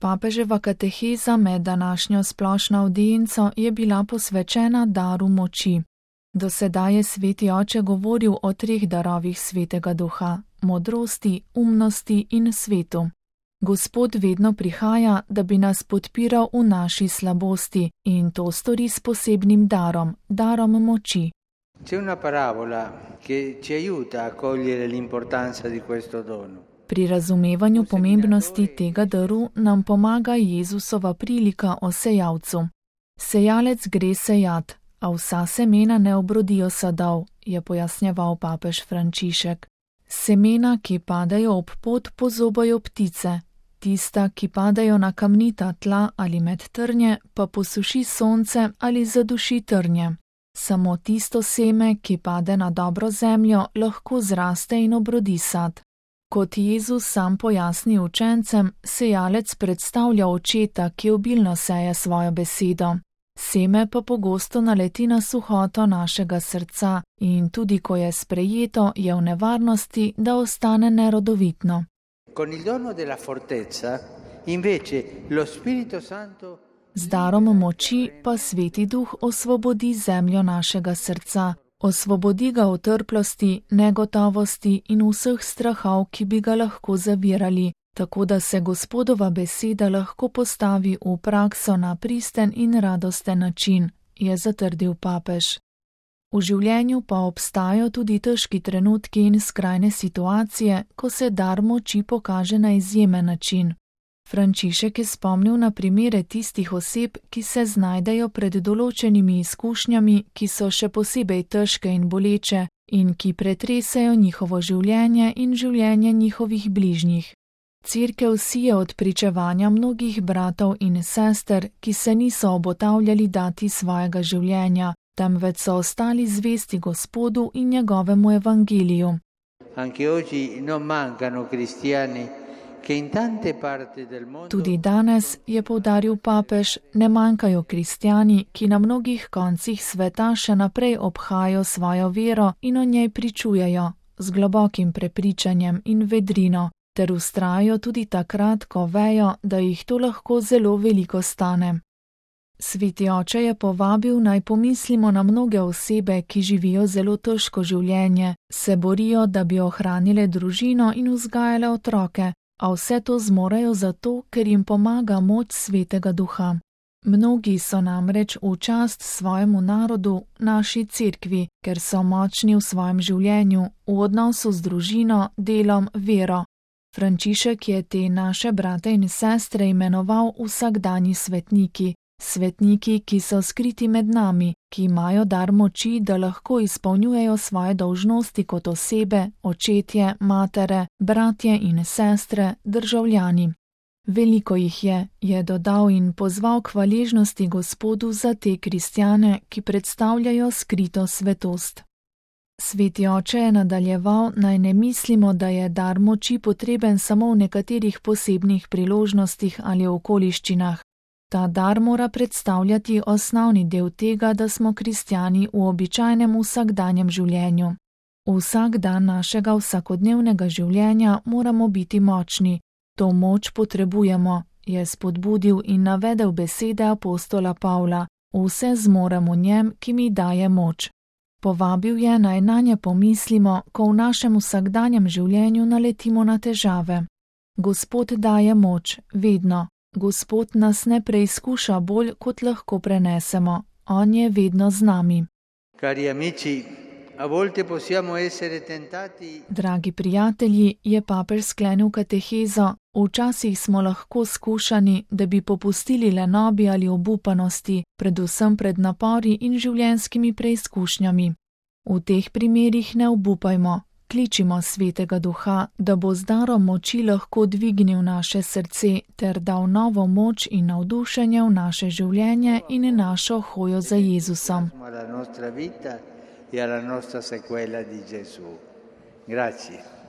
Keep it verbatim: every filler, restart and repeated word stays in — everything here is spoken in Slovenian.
Papeževa kateheza med današnjo splošno avdienco je bila posvečena daru moči. Do sedaj je sveti oče govoril o treh darovih svetega duha: modrosti, umnosti in svetu. Gospod vedno prihaja, da bi nas podpiral v naši slabosti, in to stori s posebnim darom, darom moči. C'è una parabola che ci aiuta a cogliere l'importanza di questo dono. Pri razumevanju pomembnosti tega daru nam pomaga Jezusova prilika o sejalcu. Sejalec gre sejat, a vsa semena ne obrodijo sadov, je pojasnjeval papež Frančišek. Semena, ki padajo ob pot, pozobajo ptice. Tista, ki padajo na kamnita tla ali med trnje, pa posuši sonce ali zaduši trnje. Samo tisto seme, ki pade na dobro zemljo, lahko zraste in obrodi sad. Kot Jezus sam pojasni učencem, sejalec predstavlja očeta, ki obilno seje svojo besedo. Seme pa pogosto naleti na suhoto našega srca in tudi ko je sprejeto, je v nevarnosti, da ostane nerodovitno. Con il dono della fortezza, invece, lo Spirito Santo Z darom moči pa Sveti Duh osvobodi zemljo našega srca, osvobodi ga otrplosti, negotovosti in vseh strahov, ki bi ga lahko zavirali, tako da se Gospodova beseda lahko postavi v prakso na pristen in radosten način, je zatrdil papež. V življenju pa obstajajo tudi težki trenutki in skrajne situacije, ko se dar moči pokaže na izjemen način. Frančišek je spomnil na primere tistih oseb, ki se znajdejo pred določenimi izkušnjami, ki so še posebej težke in boleče in ki pretresajo njihovo življenje in življenje njihovih bližnjih. Cerkev sije od pričevanja mnogih bratov in sester, ki se niso obotavljali dati svojega življenja, temveč so ostali zvesti Gospodu in njegovemu evangeliju. Anche oggi non mancano cristiani che in tante parti del mondo. Tudi danes, je poudaril papež, ne manjkajo kristjani, ki na mnogih koncih sveta še naprej obhajajo svojo vero in o njej pričujejo z globokim prepričanjem in vedrino, ter vztrajajo tudi takrat, ko vejo, da jih to lahko zelo veliko stane. Sveti oče je povabil, naj pomislimo na mnoge osebe, ki živijo zelo težko življenje, se borijo, da bi ohranile družino in vzgajale otroke, a vse to zmorejo zato, ker jim pomaga moč Svetega Duha. Mnogi so namreč v čast svojemu narodu, naši cerkvi, ker so močni v svojem življenju, v odnosu z družino, delom, vero. Frančišek je te naše brate in sestre imenoval vsakdanji svetniki, svetniki, ki so skriti med nami, ki imajo dar moči, da lahko izpolnjujejo svoje dolžnosti kot osebe, očetje, matere, bratje in sestre, državljani. Veliko jih je, je dodal in pozval k hvaležnosti Gospodu za te kristjane, ki predstavljajo skrito svetost. Sveti oče je nadaljeval, naj ne mislimo, da je dar moči potreben samo v nekaterih posebnih priložnostih ali okoliščinah. Ta dar mora predstavljati osnovni del tega, da smo kristjani v običajnem vsakdanjem življenju. Vsak dan našega vsakodnevnega življenja moramo biti močni. To moč potrebujemo, je spodbudil in navedel besede apostola Pavla: vse zmorem v njem, ki mi daje moč. Povabil je, naj nanje pomislimo, ko v našem vsakdanjem življenju naletimo na težave. Gospod daje moč, vedno. Gospod nas ne preizkuša bolj, kot lahko prenesemo. On je vedno z nami. Cari amici, a volte possiamo essere tentati. Dragi prijatelji, je papež sklenil katehezo, včasih smo lahko skušani, da bi popustili lenobi ali obupanosti, predvsem pred napori in življenjskimi preizkušnjami. V teh primerih ne obupajmo, kličimo Svetega Duha, da bo z darom moči lahko dvignil naše srce ter dal novo moč in navdušenje v naše življenje in našo hojo za Jezusom. E alla nostra sequela di Gesù. Grazie.